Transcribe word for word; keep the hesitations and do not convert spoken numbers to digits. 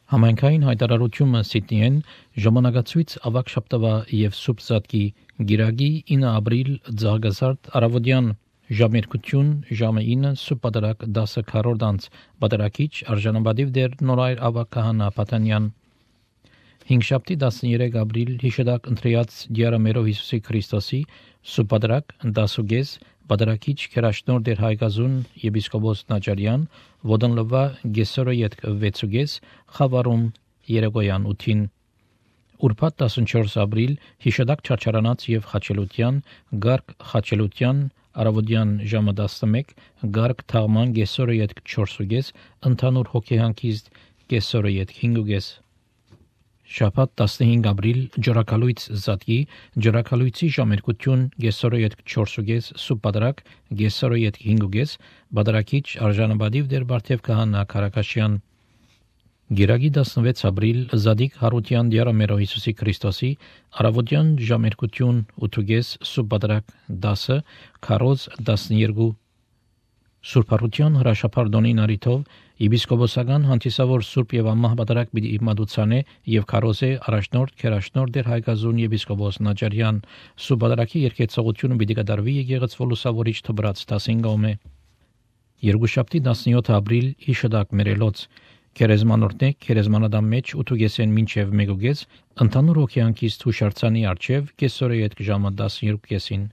Համայնքային հայտարարությունը Սիդնեյեն ժամանակացույց ավագ շաբթվա եւ սուրբ Զատկի գիրագի ինը ապրիլ ձաղգազարդ արավոդյան ժամերկություն ժամը ինը սուրբ պատարակ դասը քառորդանց պատարակիչ արժանապատիվ դեր նորայր ավագ քահանա Պատանյան հինգշաբթի տասներեք ապրիլ հիշադակ ընտրյաց դիարամերով Հիսուսի Քրիստոսի սուրբ պատարակ դասուգես պատարակիչ քերաշնոր դեր հայկազուն եպիսկոպոս Նաճարյան ոդնլվա գեսորը յետք վեցուգես խավարում երեգոյան ութին Ուրբաթ տասնչորս ապրիլ հիշադակ չարչարանած եւ խաչելության գարկ խաչելության արավոդյան ժամը տասնմեկ գարկ թաղման գեսորը յետք չորսուգես ընդհանուր հոգեհանքիст գեսորը յետք հինգուգես Շաբաթ տասնհինգ ապրիլ ջրակալույց Զատկի ջրակալույցի ժամերկություն գեսորը յետք չորսուգես սուրբ պատարակ գեսորը յետք հինգուգես բادرակիչ արժանապատիվ դեր Բարթև քահանա Քարակաշյան Գիրագի տասնվեց ապրիլ Զադիկ Հարության դիարամերով Հիսուսի Քրիստոսի արավոդյան ժամերկություն ութուգես սուրբ պատարակ դասը քարոզ տասներկու Սուրբ Հարության հրաշափարդոնի նարիթով եպիսկոպոսական հանդիսավոր սուրբ եւ ամահ պատարակ պիտի մատուցանե եւ քարոզե առաջնորդ քերաշնորդ դեր հայկազուն եպիսկոպոս Նաճարյան սուրբ պատարակի երկեցողությունը պիտի կատարվի եկեղեցու լուսավորիչ թբրած տասնինգոմե Երկուշաբթի տասնյոթ ապրիլ հիշադակ մերելոց Քերեզմանորտնե քերեզմանադամ մեջ ութուգեսեն մինչև մեգուգես ընդհանուր հոգեանքից հուշարձանի արչև կեսորը յետք ժամը տասներկու կեսին